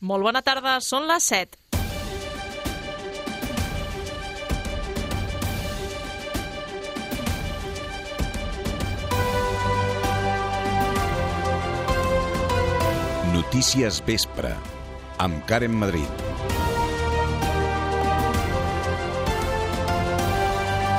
Molt bona tarda, són les 7. Notícies Vespre, amb Karen Madrid.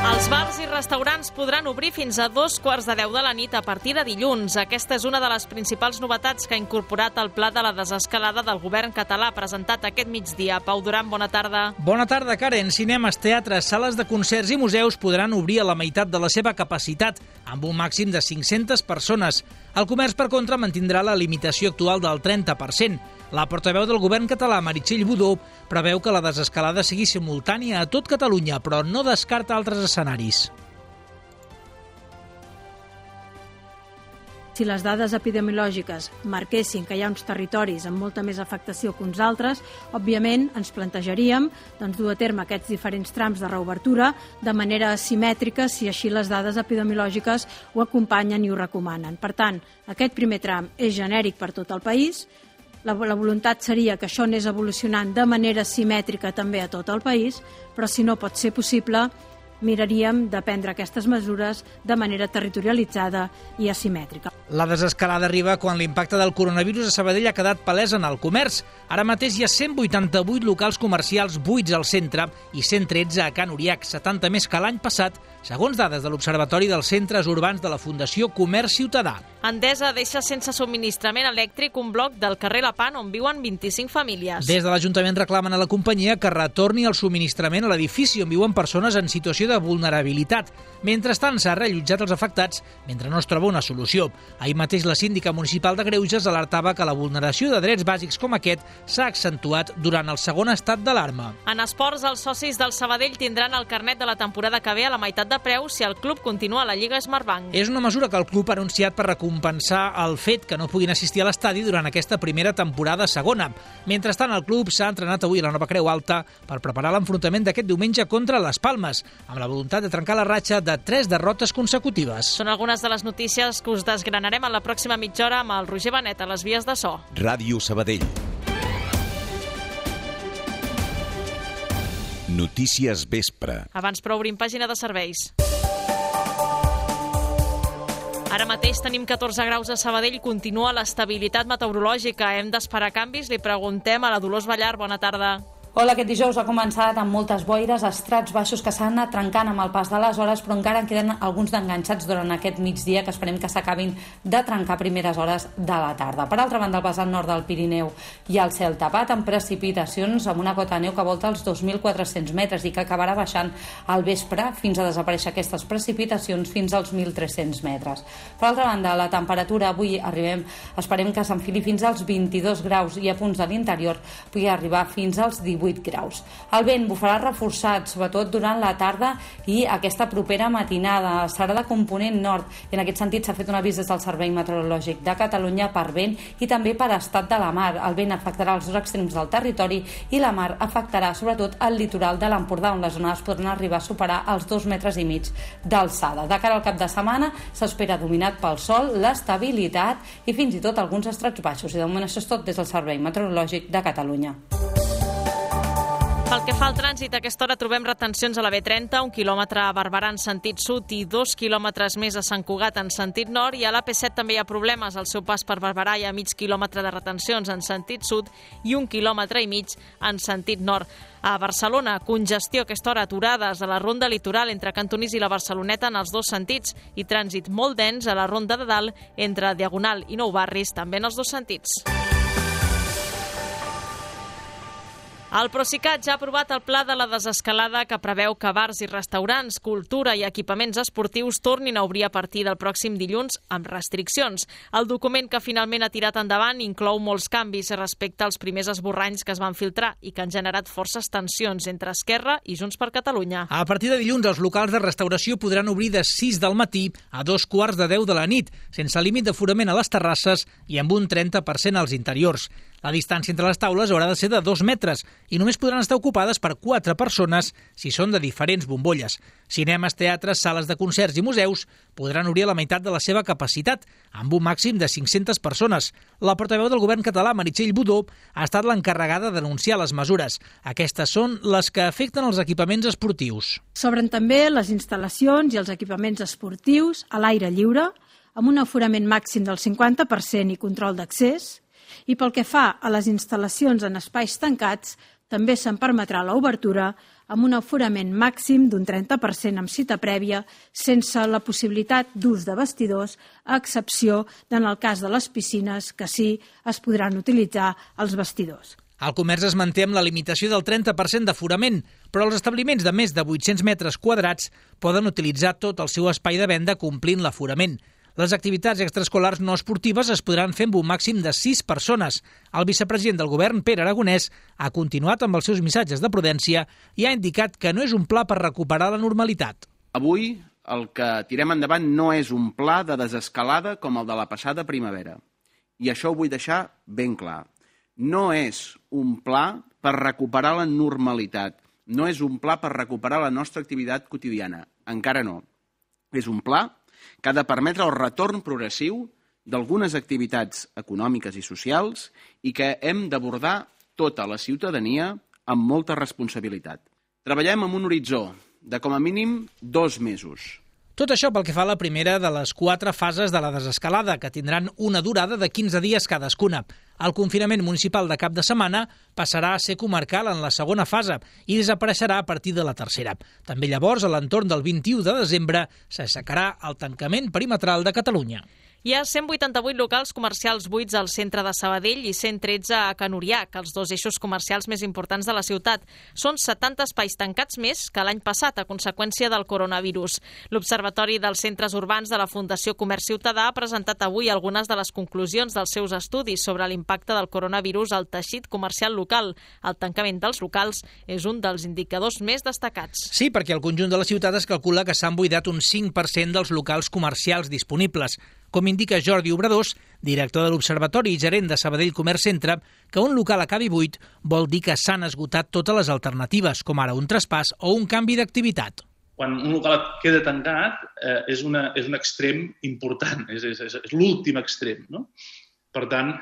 Els bars i restaurants podran obrir fins a 2:15 de la nit a partir de dilluns. Aquesta és una de les principals novetats que ha incorporat el pla de la desescalada del govern català presentat aquest migdia. Pau Duran, bona tarda. Bona tarda, Karen. Cinemes, teatres, sales de concerts i museus podran obrir a la meitat de la seva capacitat, amb un màxim de 500 persones. El comerç, per contra, mantindrà la limitació actual del 30%. La portaveu del govern català, Meritxell Budó, preveu que la desescalada sigui simultània a tot Catalunya, però no descarta altres escenaris. Si les dades epidemiològiques marquessin que hi ha uns territoris amb molta més afectació que uns altres, òbviament ens plantejaríem dur a terme aquests diferents trams de reobertura de manera asimètrica si així les dades epidemiològiques ho acompanyen i ho recomanen. Per tant, aquest primer tram és genèric per tot el país. La voluntat seria que això anés evolucionant de manera simètrica també a tot el país, però si no pot ser possible, miraríem de prendre aquestes mesures de manera territorialitzada i asimètrica. La desescalada arriba quan l'impacte del coronavirus a Sabadell ha quedat palès en el comerç. Ara mateix hi ha 188 locals comercials buits al centre i 113 a Can Uriac, 70 més que l'any passat, segons dades de l'Observatori dels Centres Urbans de la Fundació Comerç Ciutadà. Endesa deixa sense subministrament elèctric un bloc del carrer Lapan on viuen 25 famílies. Des de l'Ajuntament reclamen a la companyia que retorni el subministrament a l'edifici on viuen persones en situació de vulnerabilitat. Mentrestant, s'ha reallotjat els afectats mentre no es troba una solució. Ahir mateix la síndica municipal de Greuges alertava que la vulneració de drets bàsics com aquest s'ha accentuat durant el segon estat d'alarma. En esports, els socis del Sabadell tindran el carnet de la temporada que ve a la meitat de preu si el club continua a la Lliga Smartbank. És una mesura que el club ha anunciat per recompensar el fet que no puguin assistir a l'estadi durant aquesta primera temporada segona. Mentrestant, el club s'ha entrenat avui a la Nova Creu Alta per preparar l'enfrontament d'aquest diumenge contra les Palmes, amb la voluntat de trencar la ratxa de 3 derrotes consecutives. Són algunes de les notícies que us desgranarem en la pròxima mitja hora amb el Roger Benet a les vies de so. Ràdio Sabadell. Notícies Vespre. Abans, però, obrim pàgina de serveis. Ara mateix tenim 14 graus a Sabadell, continua l'estabilitat meteorològica. Hem d'esperar canvis? Li preguntem a la Dolors Ballar. Bona tarda. Hola, aquest dijous ha començat amb moltes boires, estrats baixos que s'han anat trencant amb el pas de les hores, però encara en queden alguns d'enganxats durant aquest migdia que esperem que s'acabin de trencar a primeres hores de la tarda. Per altra banda, al vessant nord del Pirineu hi ha el cel tapat amb precipitacions amb una cota de neu que volta els 2.400 metres i que acabarà baixant al vespre fins a desaparèixer aquestes precipitacions fins als 1.300 metres. Per altra banda, la temperatura avui esperem que s'enfili fins als 22 graus i a punts de l'interior pugui arribar fins als 18 graus. El vent bufarà reforçat, sobretot durant la tarda i aquesta propera matinada. Serà de component nord i en aquest sentit s'ha fet un avís des del Servei Meteorològic de Catalunya per vent i també per estat de la mar. El vent afectarà els dos extrems del territori i la mar afectarà sobretot el litoral de l'Empordà, on les onades podran arribar a superar els 2,5 metres d'alçada. De cara al cap de setmana s'espera dominat pel sol, l'estabilitat i fins i tot alguns estrats baixos. I de moment això és tot des del Servei Meteorològic de Catalunya. Pel que fa al trànsit, a aquesta hora trobem retencions a la B30, 1 quilòmetre a Barberà en sentit sud i 2 quilòmetres més a Sant Cugat en sentit nord, i a l'AP7 també hi ha problemes. Al seu pas per Barberà hi ha mig quilòmetre de retencions en sentit sud i 1,5 quilòmetres en sentit nord. A Barcelona, congestió a aquesta hora, aturades a la ronda litoral entre Cantonís i la Barceloneta en els dos sentits i trànsit molt dens a la ronda de dalt entre Diagonal i Nou Barris, també en els dos sentits. El Procicat ja ha aprovat el pla de la desescalada que preveu que bars i restaurants, cultura i equipaments esportius tornin a obrir a partir del pròxim dilluns amb restriccions. El document que finalment ha tirat endavant inclou molts canvis respecte als primers esborranys que es van filtrar i que han generat forces tensions entre Esquerra i Junts per Catalunya. A partir de dilluns, els locals de restauració podran obrir de 6 del matí a 2:15 de la nit, sense límit d'aforament a les terrasses i amb un 30% als interiors. La distància entre les taules haurà de ser de 2 metres i només podran estar ocupades per 4 persones si són de diferents bombolles. Cinemes, teatres, sales de concerts i museus podran obrir a la meitat de la seva capacitat, amb un màxim de 500 persones. La portaveu del govern català, Meritxell Budó, ha estat l'encarregada de denunciar les mesures. Aquestes són les que afecten els equipaments esportius. S'obren també les instal·lacions i els equipaments esportius a l'aire lliure, amb un aforament màxim del 50% i control d'accés, i pel que fa a les instal·lacions en espais tancats, també se'n permetrà l'obertura amb un aforament màxim d'un 30% amb cita prèvia, sense la possibilitat d'ús de vestidors, a excepció en el cas de les piscines, que sí es podran utilitzar els vestidors. El comerç es manté amb la limitació del 30% d'aforament, però els establiments de més de 800 metres quadrats poden utilitzar tot el seu espai de venda complint l'aforament. Les activitats extraescolars no esportives es podran fer amb un màxim de 6 persones. El vicepresident del govern, Pere Aragonès, ha continuat amb els seus missatges de prudència i ha indicat que no és un pla per recuperar la normalitat. Avui el que tirem endavant no és un pla de desescalada com el de la passada primavera. I això ho vull deixar ben clar. No és un pla per recuperar la normalitat. No és un pla per recuperar la nostra activitat quotidiana. Encara no. És un pla que ha de permetre el retorn progressiu d'algunes activitats econòmiques i socials i que hem d'abordar tota la ciutadania amb molta responsabilitat. Treballem amb un horitzó de com a mínim 2 mesos. Tot això pel que fa a la primera de les 4 fases de la desescalada, que tindran una durada de 15 dies cadascuna. El confinament municipal de cap de setmana passarà a ser comarcal en la segona fase i desapareixerà a partir de la tercera. També llavors, a l'entorn del 21 de desembre, s'aixecarà el tancament perimetral de Catalunya. Hi ha 188 locals comercials buits al centre de Sabadell i 113 a Can Uriac, els 2 eixos comercials més importants de la ciutat. Són 70 espais tancats més que l'any passat, a conseqüència del coronavirus. L'Observatori dels Centres Urbans de la Fundació Comerç Ciutadà ha presentat avui algunes de les conclusions dels seus estudis sobre l'impacte del coronavirus al teixit comercial local. El tancament dels locals és un dels indicadors més destacats. Sí, perquè al conjunt de la ciutat es calcula que s'han buidat un 5% dels locals comercials disponibles. Com indica Jordi Obradors, director de l'Observatori i gerent de Sabadell Comerç Centre, que un local acabi buit vol dir que s'han esgotat totes les alternatives, com ara un traspàs o un canvi d'activitat. Quan un local queda tancat és un extrem important, és l'últim extrem, no? Per tant,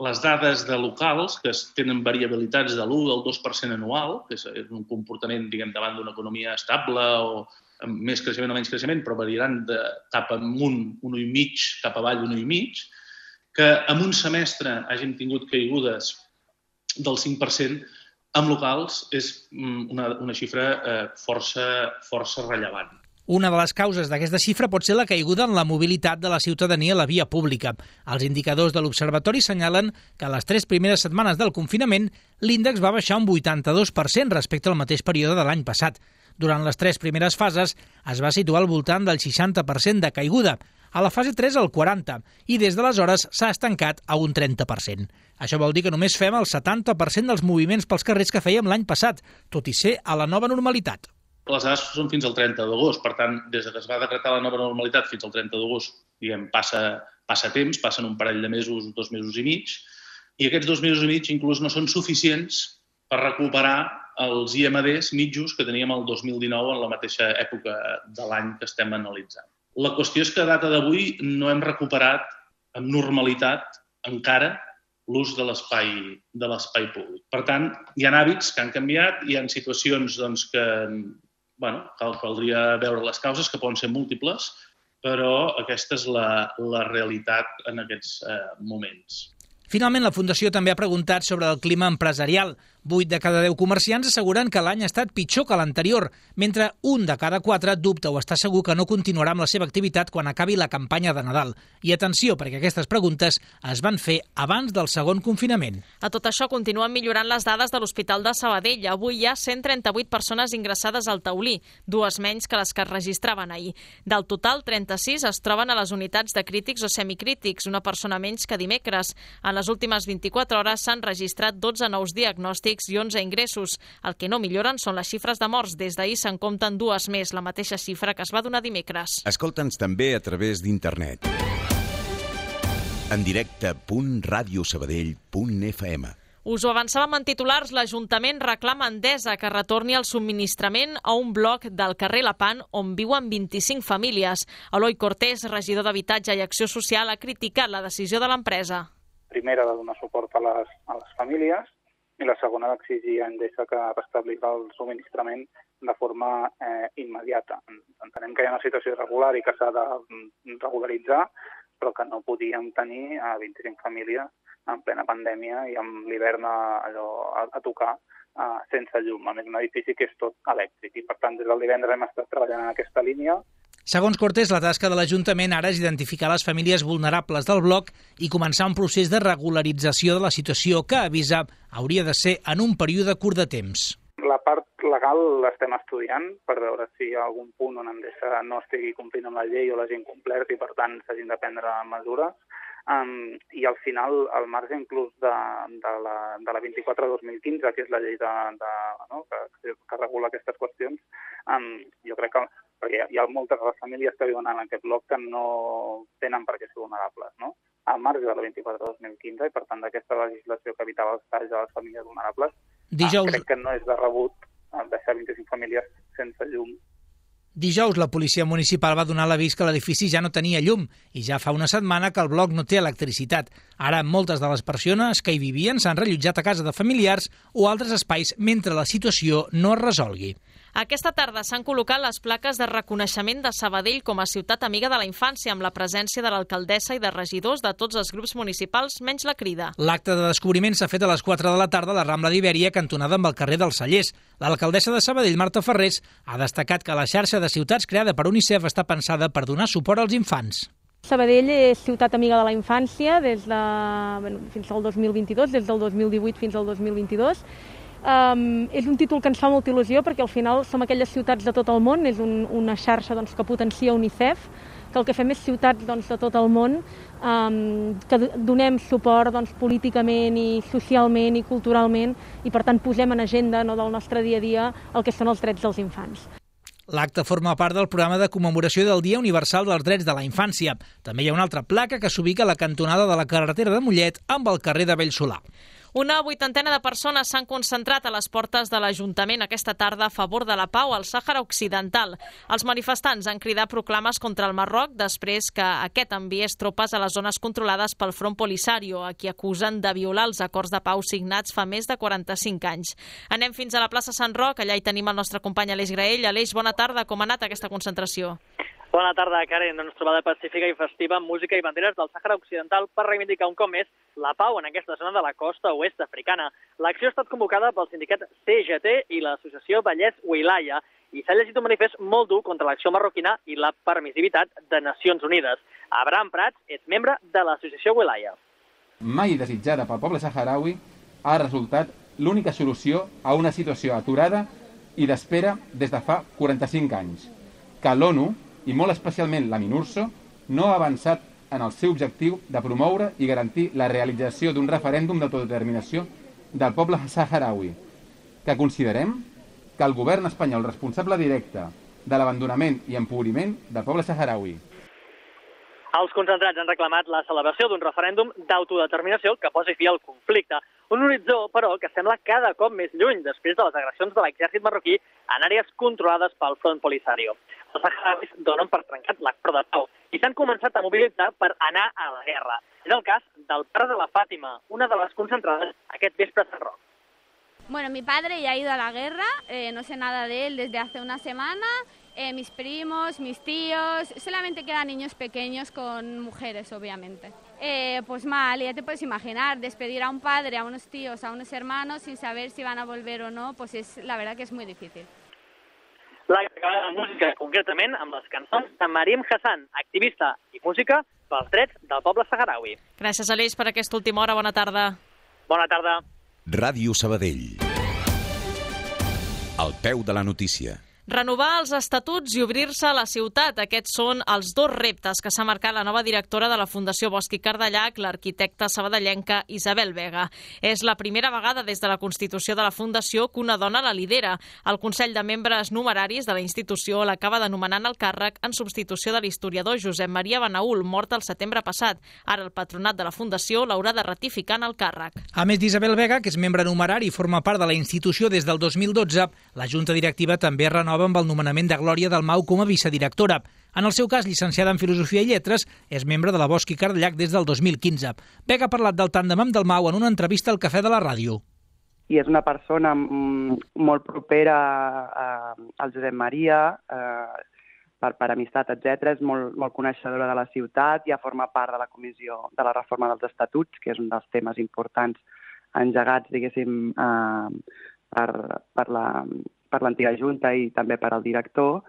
les dades de locals que tenen variabilitats de l'1 al 2% anual, que és un comportament davant d'una economia estable o amb més creixement o menys creixement, però variaran cap amunt 1,5, cap avall 1,5, que en un semestre hàgim tingut caigudes del 5% amb locals és una xifra força rellevant. Una de les causes d'aquesta xifra pot ser la caiguda en la mobilitat de la ciutadania a la via pública. Els indicadors de l'Observatori senyalen que a les 3 primeres setmanes del confinament l'índex va baixar un 82% respecte al mateix període de l'any passat. Durant les 3 primeres fases es va situar al voltant del 60% de caiguda, a la fase 3 el 40%, i des d'aleshores s'ha estancat a un 30%. Això vol dir que només fem el 70% dels moviments pels carrers que fèiem l'any passat, tot i ser a la nova normalitat. Les dades són fins al 30 d'agost, per tant, des que es va decretar la nova normalitat fins al 30 d'agost, passa temps, passen un parell de mesos, 2 mesos i mig, i aquests 2 mesos i mig inclús no són suficients per recuperar els IMDs mitjos que teníem el 2019 en la mateixa època de l'any que estem analitzant. La qüestió és que a data d'avui no hem recuperat amb normalitat encara l'ús de l'espai públic. Per tant, hi ha hàbits que han canviat, hi ha situacions que caldria veure les causes, que poden ser múltiples, però aquesta és la realitat en aquests moments. Finalment, la Fundació també ha preguntat sobre el clima empresarial. 8 de cada 10 comerciants asseguren que l'any ha estat pitjor que l'anterior, mentre 1 de cada 4 dubta o està segur que no continuarà amb la seva activitat quan acabi la campanya de Nadal. I atenció, perquè aquestes preguntes es van fer abans del segon confinament. A tot això continuen millorant les dades de l'Hospital de Sabadell. Avui hi ha 138 persones ingressades al taulí, 2 menys que les que es registraven ahir. Del total, 36 es troben a les unitats de crítics o semicrítics, una persona menys que dimecres. En les últimes 24 hores s'han registrat 12 nous diagnòstics i 11 ingressos. El que no milloren són les xifres de morts. Des d'ahir se'n compten 2 més, la mateixa xifra que es va donar dimecres. Escolta'ns també a través d'internet. En directe.radiosabadell.fm. Us ho avançàvem en titulars, l'Ajuntament reclama a Endesa que retorni el subministrament a un bloc del carrer Lapant on viuen 25 famílies. Eloi Cortés, regidor d'Habitatge i Acció Social, ha criticat la decisió de l'empresa. Primera, de donar suport a les famílies, i la segona, d'exigir a Endesa que restablís el subministrament de forma immediata. Entenem que hi ha una situació irregular i que s'ha de regularitzar, però que no podíem tenir 25 famílies en plena pandèmia i amb l'hivern a tocar sense llum. A més, un edifici que és tot elèctric i, per tant, des del divendres hem estat treballant en aquesta línia. Segons Cortés, la tasca de l'Ajuntament ara és identificar les famílies vulnerables del bloc i començar un procés de regularització de la situació que, avisa, hauria de ser en un període curt de temps. La part legal l'estem estudiant per veure si hi ha algun punt on Endesa no estigui complint amb la llei o l'hagi incomplert i, per tant, s'hagin de prendre mesures. I al final, al marge inclús de la 24/2015, que és la llei que regula aquestes qüestions, jo crec que perquè hi ha moltes de les famílies que viuen en aquest bloc que no tenen per què ser vulnerables, no? Al marge de la 24/2015 i, per tant, d'aquesta legislació que evitava els talls a les famílies vulnerables, crec que no és de rebut deixar 25 famílies sense llum. Dijous, la policia municipal va donar l'avís que l'edifici ja no tenia llum i ja fa una setmana que el bloc no té electricitat. Ara, moltes de les persones que hi vivien s'han rellotjat a casa de familiars o altres espais mentre la situació no es resolgui. Aquesta tarda s'han col·locat les plaques de reconeixement de Sabadell com a ciutat amiga de la infància amb la presència de l'alcaldessa i de regidors de tots els grups municipals, menys la Crida. L'acte de descobriment s'ha fet a les 4 de la tarda a la Rambla d'Ibèria, cantonada amb el carrer dels Cellers. L'alcaldessa de Sabadell, Marta Ferrers, ha destacat que la xarxa de ciutats creada per UNICEF està pensada per donar suport als infants. Sabadell és ciutat amiga de la infància fins al 2022, des del 2018 fins al 2022. És un títol que ens fa molta il·lusió perquè al final som aquelles ciutats de tot el món, és una xarxa que potencia UNICEF, que el que fem és ciutats de tot el món que donem suport políticament i socialment i culturalment i per tant posem en agenda del nostre dia a dia el que són els drets dels infants. L'acte forma part del programa de commemoració del Dia Universal dels Drets de la Infància. També hi ha una altra placa que s'ubica a la cantonada de la carretera de Mollet amb el carrer de Bellsolà. Una 80ena de persones s'han concentrat a les portes de l'Ajuntament aquesta tarda a favor de la pau al Sàhara Occidental. Els manifestants han cridat proclames contra el Marroc després que aquest enviés tropes a les zones controlades pel Front Polisario, a qui acusen de violar els acords de pau signats fa més de 45 anys. Anem fins a la plaça Sant Roc, allà hi tenim el nostre company Aleix Graell. Aleix, bona tarda, com ha anat aquesta concentració? Bona tarda, Karen. Trobada pacífica i festiva amb música i banderes del Sàhara Occidental per reivindicar un cop més la pau en aquesta zona de la costa oest africana. L'acció ha estat convocada pel sindicat CGT i l'associació Vallès Wilaya i s'ha llegit un manifest molt dur contra l'acció marroquina i la permissivitat de Nacions Unides. Abraham Prats és membre de l'associació Wilaya. Mai desitjada pel poble saharaui ha resultat l'única solució a una situació aturada i d'espera des de fa 45 anys, que l'ONU, i molt especialment la MINURSO, no ha avançat en el seu objectiu de promoure i garantir la realització d'un referèndum d'autodeterminació del poble saharaui, que considerem que el govern espanyol responsable directe de l'abandonament i empobriment del poble saharaui. Els concentrats han reclamat la celebració d'un referèndum d'autodeterminació que posi fi al conflicte. Un horitzó, però, que sembla cada cop més lluny després de les agressions de l'exèrcit marroquí en àrees controlades pel Front Polisario. Els saharauis donen per trencat l'acord de pau i s'han començat a mobilitzar per anar a la guerra. És el cas del pare de la Fàtima, una de les concentrades aquest vespre a Sant Roc. Bueno, mi padre ya ha ido a la guerra, no sé nada de él desde hace una semana. Mis primos, mis tíos, solamente quedan niños pequeños con mujeres, obviamente. Pues mal, ya te puedes imaginar, despedir a un padre, a unos tíos, a unos hermanos sin saber si van a volver o no, pues la verdad que es muy difícil. L'acte acaba de música, concretament amb les cançons de Mariam Hassan, activista i música pels drets del poble saharaui. Gràcies, Aleix, per aquesta última hora. Bona tarda. Bona tarda. Ràdio Sabadell. Al peu de la notícia. Renovar els estatuts i obrir-se a la ciutat. Aquests són els dos reptes que s'ha marcat la nova directora de la Fundació Bosch i Cardellac, l'arquitecta sabadellenca Isabel Vega. És la primera vegada des de la constitució de la Fundació que una dona la lidera. El Consell de Membres Numeraris de la institució l'acaba d'anomenar el càrrec en substitució de l'historiador Josep Maria Benaül, mort el setembre passat. Ara el patronat de la Fundació l'haurà de ratificar en el càrrec. A més d'Isabel Vega, que és membre numerari i forma part de la institució des del 2012, la Junta Directiva també renova amb el nomenament de Glòria Dalmau com a vicedirectora. En el seu cas, llicenciada en Filosofia i Lletres, és membre de la Bosch i Cardellac des del 2015. Vega ha parlat del tàndem amb Dalmau en una entrevista al Cafè de la Ràdio. I és una persona molt propera al Josep Maria, per amistat, etc. És molt coneixedora de la ciutat, ja forma part de la comissió de la reforma dels estatuts, que és un dels temes importants engegats, diguéssim, per l'antiga Junta i també per al director,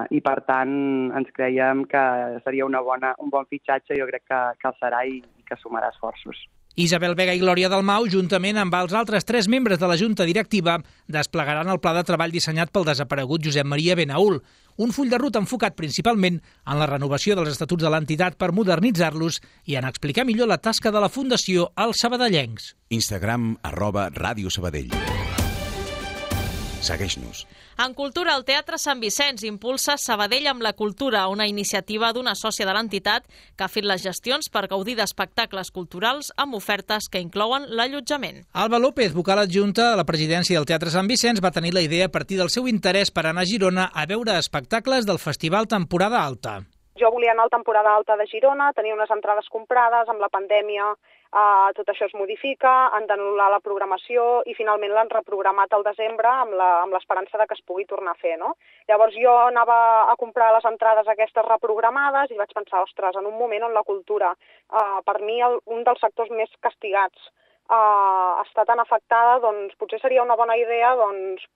i per tant ens creiem que seria un bon fitxatge, jo crec que el serà i que sumarà esforços. Isabel Vega i Glòria Dalmau, juntament amb els altres 3 membres de la Junta Directiva, desplegaran el pla de treball dissenyat pel desaparegut Josep Maria Benaül, un full de ruta enfocat principalment en la renovació dels estatuts de l'entitat per modernitzar-los i en explicar millor la tasca de la Fundació als sabadellencs. Instagram @Ràdio Sabadell. Segueix-nos. En cultura, el Teatre Sant Vicenç impulsa Sabadell amb la cultura, una iniciativa d'una sòcia de l'entitat que ha fet les gestions per gaudir d'espectacles culturals amb ofertes que inclouen l'allotjament. Alba López, vocal adjunta a la presidència del Teatre Sant Vicenç, va tenir la idea a partir del seu interès per anar a Girona a veure espectacles del Festival Temporada Alta. Jo volia anar a la temporada alta de Girona, tenia unes entrades comprades, amb la pandèmia tot això es modifica, han d'anul·lar la programació i finalment l'han reprogramat al desembre amb l'esperança de que es pugui tornar a fer, no? Llavors jo anava a comprar les entrades aquestes reprogramades i vaig pensar, ostres, en un moment on la cultura, per mi un dels sectors més castigats, està tan afectada, doncs potser seria una bona idea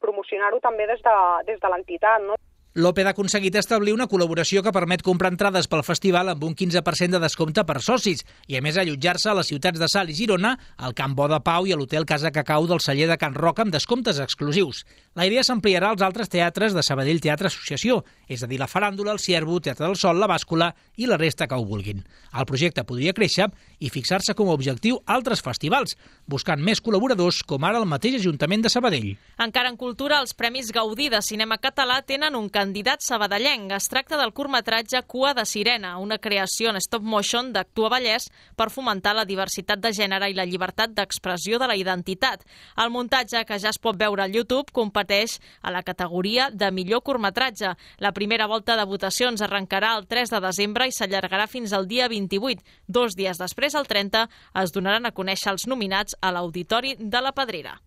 promocionar-ho també des de l'entitat, no? López ha aconseguit establir una col·laboració que permet comprar entrades pel festival amb un 15% de descompte per socis i, a més, allotjar-se a les ciutats de Salt i Girona, al Camp Bo de Pau i a l'Hotel Casa Cacau del celler de Can Roca amb descomptes exclusius. La idea s'ampliarà als altres teatres de Sabadell Teatre Associació, és a dir, la Faràndula, el Ciervo, Teatre del Sol, la Bàscula i la resta que ho vulguin. El projecte podria créixer i fixar-se com a objectiu altres festivals, buscant més col·laboradors com ara el mateix Ajuntament de Sabadell. Encara en cultura, els Premis Gaudí de cinema català tenen un candidat sabadellenc. Es tracta del curtmetratge Cua de Sirena, una creació en stop motion d'Actua Vallès per fomentar la diversitat de gènere i la llibertat d'expressió de la identitat. El muntatge, que ja es pot veure al YouTube, competeix a la categoria de millor curtmetratge. La primera volta de votacions arrencarà el 3 de desembre i s'allargarà fins al dia 28. 2 dies després, el 30, es donaran a conèixer els nominats a l'Auditori de la Pedrera.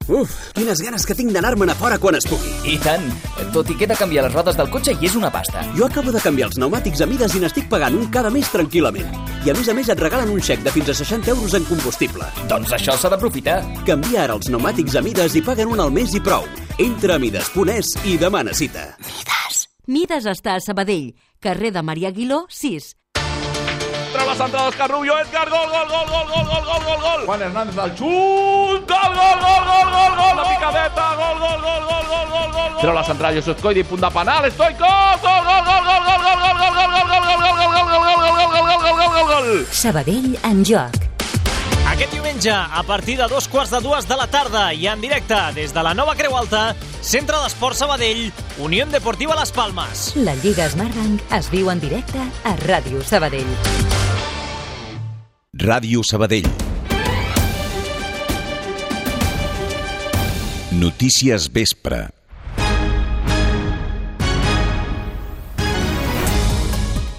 Uf, quines ganes que tinc d'anar-me'n a fora quan es pugui. I tant, tot i que he de canviar les rodes del cotxe i és una pasta. Jo acabo de canviar els pneumàtics a Mides i n'estic pagant un cada mes tranquil·lament. I a més et regalen un xec de fins a 60 euros en combustible. Doncs això s'ha d'aprofitar. Canvia ara els pneumàtics a Mides i paguen un al mes i prou. Entra a mides.es i demana cita. Mides està a Sabadell, carrer de Maria Aguiló, 6. Treu la centrada Òscar Rubio, Edgar, gol, gol, gol, gol, gol, gol, gol, gol, gol. Juan Hernández al xut, gol, gol, gol, gol, gol, gol, la picadeta, gol, gol, gol, gol, gol, gol, gol. Treu la centrada Josep Coidi, punt de penal, Stoico, gol, gol, gol, gol, gol, gol, gol, gol, gol, gol, gol, gol, gol, gol. Sabadell en joc. Aquest diumenge, a partir de 2:15 de la tarda i en directe des de la nova Creu Alta, Centre d'Esport Sabadell, Unió Deportiva Las Palmes. La Lliga Smartbank es viu en directe a Ràdio Sabadell. Ràdio Sabadell. Notícies vespre.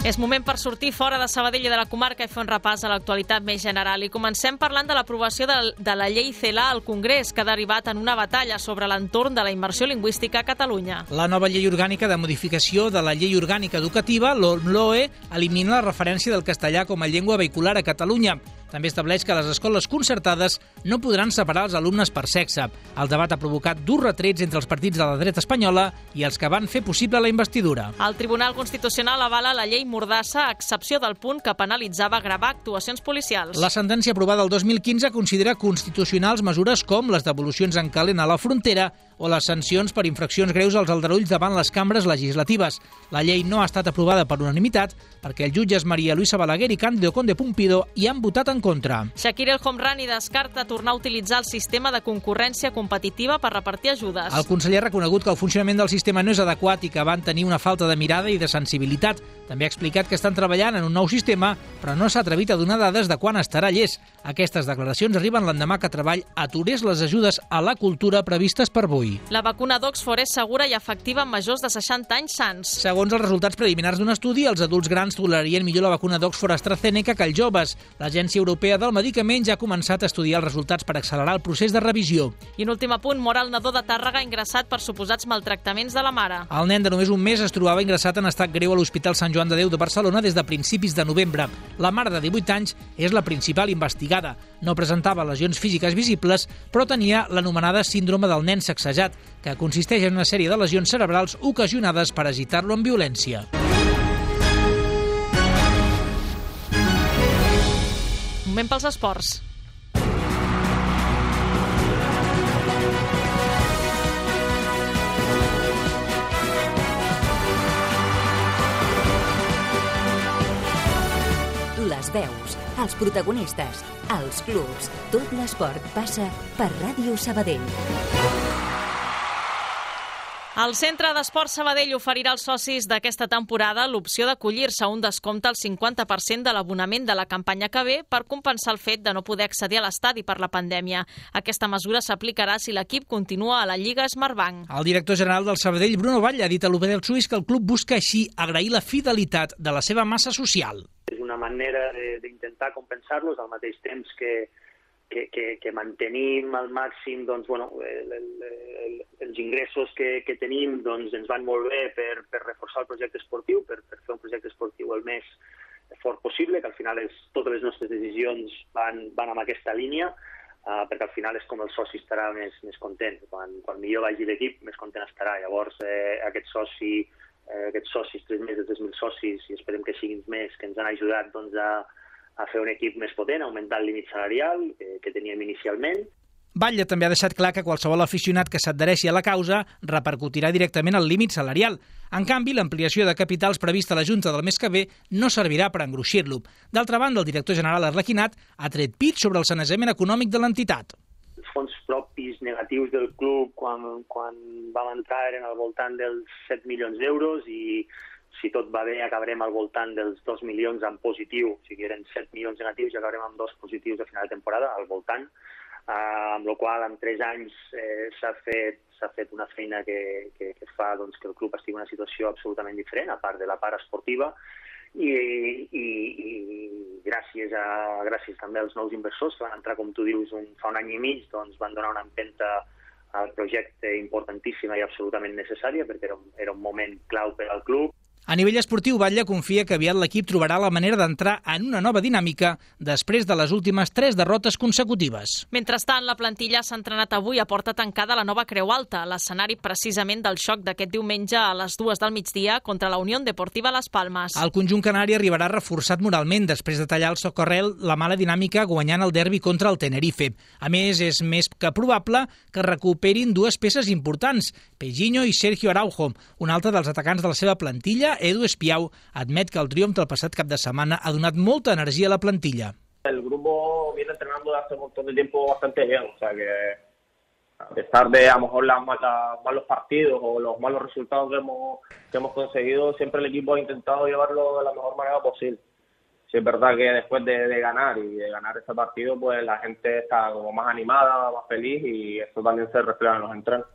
És moment per sortir fora de Sabadell i de la comarca i fer un repàs a l'actualitat més general. I comencem parlant de l'aprovació de la llei CELA al Congrés, que ha derivat en una batalla sobre l'entorn de la immersió lingüística a Catalunya. La nova llei orgànica de modificació de la llei orgànica educativa, l'OMLOE, elimina la referència del castellà com a llengua vehicular a Catalunya. també estableix que les escoles concertades no podran separar els alumnes per sexe. El debat ha provocat durs retrets entre els partits de la dreta espanyola i els que van fer possible la investidura. El Tribunal Constitucional avala la llei Mordassa, a excepció del punt que penalitzava gravar actuacions policials. La sentència aprovada el 2015 considera constitucionals mesures com les devolucions en calent a la frontera o les sancions per infraccions greus als aldarulls davant les cambres legislatives. La llei no ha estat aprovada per unanimitat perquè els jutges María Luisa Balaguer i Cándido Conde Pumpido hi han votat en contra. Shakir El Homrani descarta tornar a utilitzar el sistema de concurrència competitiva per repartir ajudes. El conseller ha reconegut que el funcionament del sistema no és adequat i que van tenir una falta de mirada i de sensibilitat. També ha explicat que estan treballant en un nou sistema, però no s'ha atrevit a donar dades de quan estarà llest. Aquestes declaracions arriben l'endemà que Treball aturés les ajudes a la cultura previstes per avui. La vacuna d'Oxford és segura i efectiva en majors de 60 anys sants. Segons els resultats preliminars d'un estudi, els adults grans tolerarien millor la vacuna d'Oxford AstraZeneca que els joves. L'Agència Europea del Medicament ja ha començat a estudiar els resultats per accelerar el procés de revisió. I un últim apunt, mor el nadó de Tàrrega ingressat per suposats maltractaments de la mare. El nen de només un mes es trobava ingressat en estat greu a l'Hospital Sant Joan de Déu de Barcelona des de principis de novembre. La mare de 18 anys és la principal investigada. No presentava lesions físiques visibles, però tenia l'anomenada síndrome del nen sacsejat, que consisteix en una sèrie de lesions cerebrals ocasionades per agitar-lo amb violència. Moment pels esports. Les veus, els protagonistes, els clubs, tot l'esport passa per Ràdio Sabadell. El Centre d'Esport Sabadell oferirà als socis d'aquesta temporada l'opció d'acollir-se a un descompte al 50% de l'abonament de la campanya que ve per compensar el fet de no poder accedir a l'estadi per la pandèmia. Aquesta mesura s'aplicarà si l'equip continua a la Lliga Smartbank. El director general del Sabadell, Bruno Vall, ha dit a l'Obedel Suís que el club busca així agrair la fidelitat de la seva massa social. És una manera d'intentar compensar-los al mateix temps que mantenim al màxim doncs, els ingressos que tenim doncs, ens van molt bé per reforçar el projecte esportiu, per fer un projecte esportiu el més fort possible, que al final totes les nostres decisions van en aquesta línia, perquè al final és com el soci estarà més content. Quan millor vagi l'equip, més content estarà. Llavors, aquests socis, 3.000 de 3.000 socis, i esperem que siguin més, que ens han ajudat doncs, a fer un equip més potent, a augmentar el límit salarial que teníem inicialment. Batlle també ha deixat clar que qualsevol aficionat que s'adhereixi a la causa repercutirà directament al límit salarial. En canvi, l'ampliació de capitals prevista a la Junta del mes que ve no servirà per engruixir-lo. D'altra banda, el director general Arlequinat ha tret pit sobre el sanejament econòmic de l'entitat. Els fons propis negatius del club quan vam entrar eren al voltant dels 7 milions d'euros i si tot va bé acabarem al voltant dels 2 milions en positiu, o sigui, eren 7 milions negatius i acabarem amb 2 positius a final de temporada, al voltant, amb la qual en 3 anys s'ha fet una feina que fa doncs, que el club estigui en una situació absolutament diferent, a part de la part esportiva, i gràcies també als nous inversors que van entrar, com tu dius, fa un any i mig, doncs van donar una empenta al projecte importantíssima i absolutament necessària, perquè era un moment clau per al club. A nivell esportiu, Batlle confia que aviat l'equip trobarà la manera d'entrar en una nova dinàmica després de les últimes 3 derrotes consecutives. Mentrestant, la plantilla s'ha entrenat avui a porta tancada a la nova Creu Alta, l'escenari precisament del xoc d'aquest diumenge a les 2 del migdia contra la Unión Deportiva Las Palmas. El conjunt canari arribarà reforçat moralment després de tallar el socorrel la mala dinàmica guanyant el derbi contra el Tenerife. A més, és més que probable que recuperin 2 peces importants, Pejinho i Sergio Araujo. Un altre dels atacants de la seva plantilla, Edu Espiau, admet que el triomf del passat cap de setmana ha donat molta energia a la plantilla. El grupo viene entrenando desde hace un montón de tiempo bastante bien, o sea que a pesar de a lo mejor los malos partidos o los malos resultados que hemos conseguido, siempre el equipo ha intentado llevarlo de la mejor manera posible. Sí, es verdad que después de ganar y de ganar este partido, pues la gente está como más animada, más feliz y eso también se refleja en los entrenos.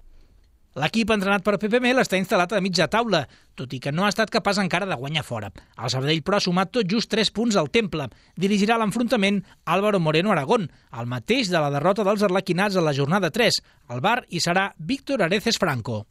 L'equip entrenat per Pepe Mel està instal·lat a mitja taula, tot i que no ha estat capaç encara de guanyar fora. El Sabadell, però, ha sumat tot just 3 punts al Temple. Dirigirà l'enfrontament Álvaro Moreno Aragón, el mateix de la derrota dels arlequinats a la jornada 3. Al bar hi serà Víctor Areces Franco.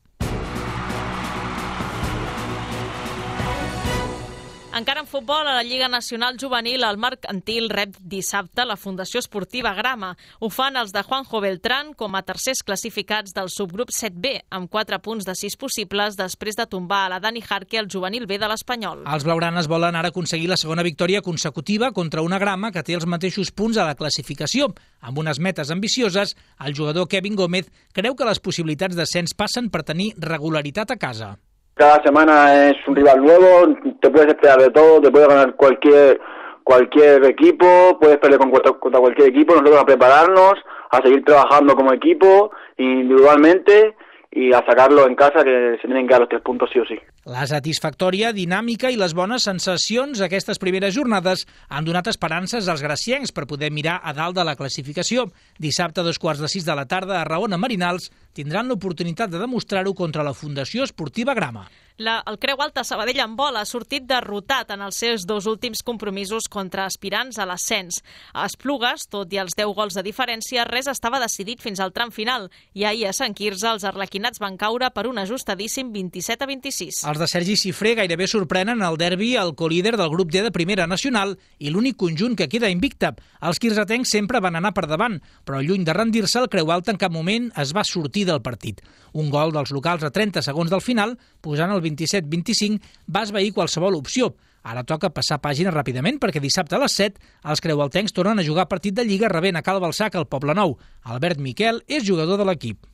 Encara en futbol, a la Lliga Nacional Juvenil, el Mercantil rep dissabte la Fundació Esportiva Grama. Ho fan els de Juanjo Beltrán com a tercers classificats del subgrup 7B, amb 4 punts de 6 possibles després de tombar a la Dani Jarque al juvenil B de l'Espanyol. Els blaugranes volen ara aconseguir la segona victòria consecutiva contra una Grama que té els mateixos punts a la classificació. Amb unes metes ambicioses, el jugador Kevin Gómez creu que les possibilitats d'ascens passen per tenir regularitat a casa. Cada semana es un rival nuevo, te puedes esperar de todo, te puede ganar cualquier equipo, puedes pelear contra cualquier equipo. Nosotros a prepararnos, a seguir trabajando como equipo, individualmente, y a sacarlo en casa, que se tienen que dar los 3 puntos sí o sí. La satisfactòria dinàmica i les bones sensacions aquestes primeres jornades han donat esperances als graciencs per poder mirar a dalt de la classificació. Dissabte a 2:45 de la tarda a Raona Marinals tindran l'oportunitat de demostrar-ho contra la Fundació Esportiva Grama. El Creu Alta Sabadell en vol ha sortit derrotat en els seus 2 últims compromisos contra aspirants a l'ascens. A Esplugues, tot i els 10 gols de diferència, res estava decidit fins al tram final i ahir a Sant Quirze els arlequinats van caure per un ajustadíssim 27-26. Els de Sergi Cifré gairebé sorprenen el derbi al colíder del grup D de Primera Nacional i l'únic conjunt que queda invicte. Els quirzetencs sempre van anar per davant, però lluny de rendir-se, el Creu Alta en cap moment es va sortir del partit. Un gol dels locals a 30 segons del final, posant el 27-25, va esvair qualsevol opció. Ara toca passar pàgina ràpidament perquè dissabte a les 7 els creualtencs tornen a jugar partit de Lliga rebent a Cal Balsac al Poblenou. Albert Miquel és jugador de l'equip.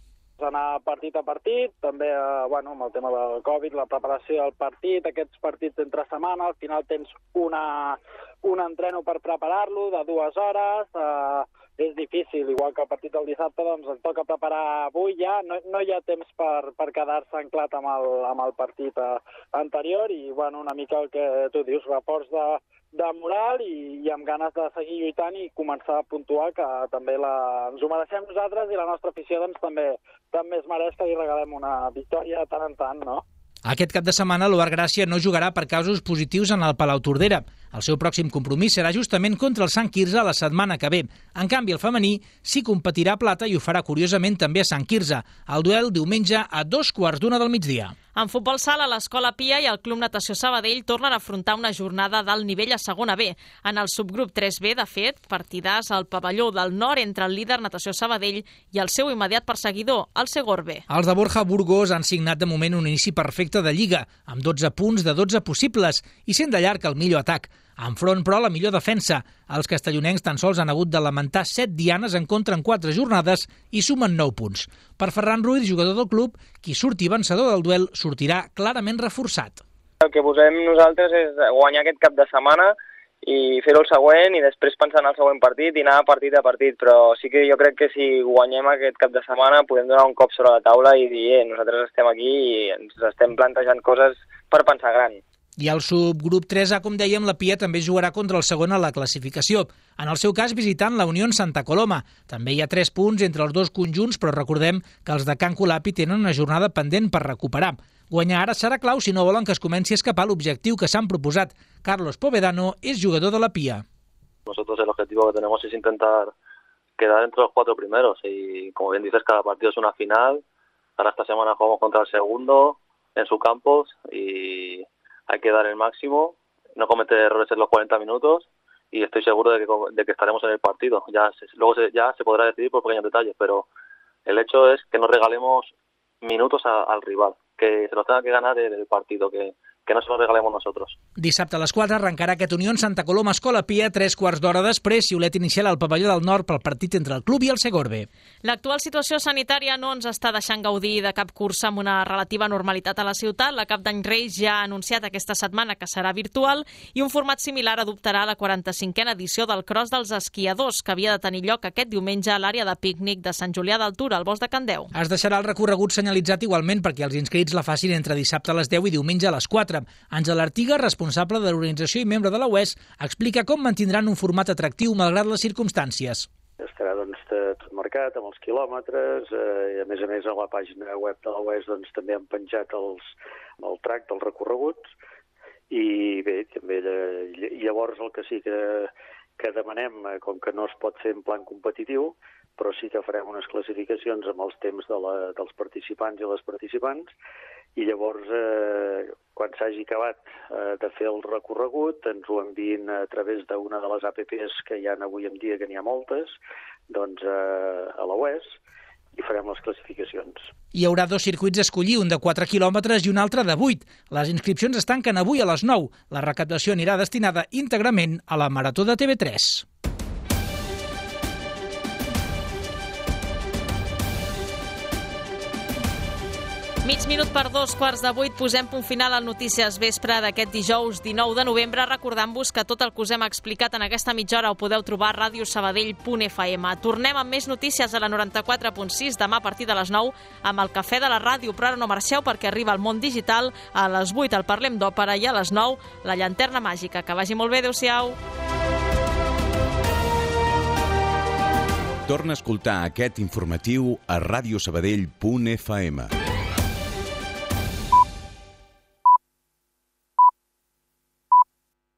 Anar partit a partit, també amb el tema del Covid, la preparació del partit, aquests partits d'entre setmana, al final tens un entreno per preparar-lo de 2 hores, és difícil, igual que el partit del dissabte, doncs ens toca preparar avui ja, no hi ha temps per quedar-se anclat amb el partit anterior i una mica el que tu dius, reforç de moral i amb ganes de seguir lluitant i començar a puntuar, que també ens ho mereixem nosaltres i la nostra afició doncs, també es mereix que li regalem una victòria de tant en tant, no? Aquest cap de setmana l'Oar Gràcia no jugarà per casos positius en el Palau Tordera. El seu pròxim compromís serà justament contra el Sant Quirze la setmana que ve. En canvi, el femení sí competirà a Plata i ho farà curiosament també a Sant Quirze. El duel diumenge a 2:15 del migdia. En futbol sala, l'Escola Pia i el Club Natació Sabadell tornen a afrontar una jornada d'alt nivell a segona B. En el subgrup 3B, de fet, partidàs al pavelló del nord entre el líder Natació Sabadell i el seu immediat perseguidor, el Segorbe. Els de Borja Burgos han signat de moment un inici perfecte de Lliga, amb 12 punts de 12 possibles i sent de llarg el millor atac. Enfront, però, la millor defensa. Els castellonencs tan sols han hagut de lamentar 7 dianes en contra en 4 jornades i sumen 9 punts. Per Ferran Ruiz, jugador del club, qui surti vencedor del duel sortirà clarament reforçat. El que posem nosaltres és guanyar aquest cap de setmana i fer-ho el següent i després pensar en el següent partit i anar partit a partit, però sí que jo crec que si guanyem aquest cap de setmana podem donar un cop sobre la taula i dir nosaltres estem aquí i ens estem plantejant coses per pensar gran. I al subgrup 3A, com dèiem, la Pia també jugarà contra el segon a la classificació. En el seu cas, visitant la Unió Santa Coloma. També hi ha 3 punts entre els dos conjunts, però recordem que els de Can Colapi tenen una jornada pendent per recuperar. Guanyar ara serà clau si no volen que es comenci a escapar l'objectiu que s'han proposat. Carlos Povedano és jugador de la Pia. Nosotros el objetivo que tenemos es intentar quedar entre los 4 primeros y, como bien dices, cada partido es una final. Ahora esta semana jugamos contra el segundo en su campo y hay que dar el máximo, no cometer errores en los 40 minutos y estoy seguro de que estaremos en el partido. Luego ya se podrá decidir por pequeños detalles, pero el hecho es que no regalemos minutos al rival, que se los tenga que ganar el partido, que no se los regalemos nosotros. Dissabte a les 4 arrencarà aquest Unió Santa Coloma Escola Pia, 3/4 d'hora després, xiulet inicial al pavelló del nord pel partit entre el club i el Segorbe. L'actual situació sanitària no ens està deixant gaudir de cap cursa amb una relativa normalitat a la ciutat. La Cap d'Any Reis ja ha anunciat aquesta setmana que serà virtual i un format similar adoptarà la 45a edició del Cross dels Esquiadors, que havia de tenir lloc aquest diumenge a l'àrea de pícnic de Sant Julià d'Altura, al Bosc de Can Deu. Es deixarà el recorregut senyalitzat igualment perquè els inscrits la facin entre dissabte a les 10 i diumenge a les 4. Àngel Artiga, responsable de l'organització i membre de la UES, explica com mantindran un format atractiu malgrat les circumstàncies. Estarà tot marcat amb els quilòmetres i a més a la pàgina web de la UES també han penjat el track dels recorreguts i bé, també llavors el que sí que demanem, com que no es pot fer en plan competitiu, però sí que farem unes classificacions amb els temps dels participants i les participants i llavors quan s'hagi acabat de fer el recorregut ens ho enviïn a través d'una de les APPs que hi ha avui en dia, que n'hi ha moltes, doncs a la UES, i farem les classificacions. Hi haurà 2 circuits a escollir, un de 4 quilòmetres i un altre de 8. Les inscripcions es tanquen avui a les 9. La recaptació anirà destinada íntegrament a la Marató de TV3. Mig minut per 7:45, posem punt final al Notícies Vespre d'aquest dijous 19 de novembre, recordant-vos que tot el que us hem explicat en aquesta mitja hora ho podeu trobar a radiosabadell.fm. Tornem amb més notícies a la 94.6 demà a partir de les 9 amb el Cafè de la Ràdio, però ara no marxeu perquè arriba el món digital, a les 8 el Parlem d'Òpera i a les 9 la Llanterna Màgica. Que vagi molt bé, adéu-siau. Torna a escoltar aquest informatiu a radiosabadell.fm.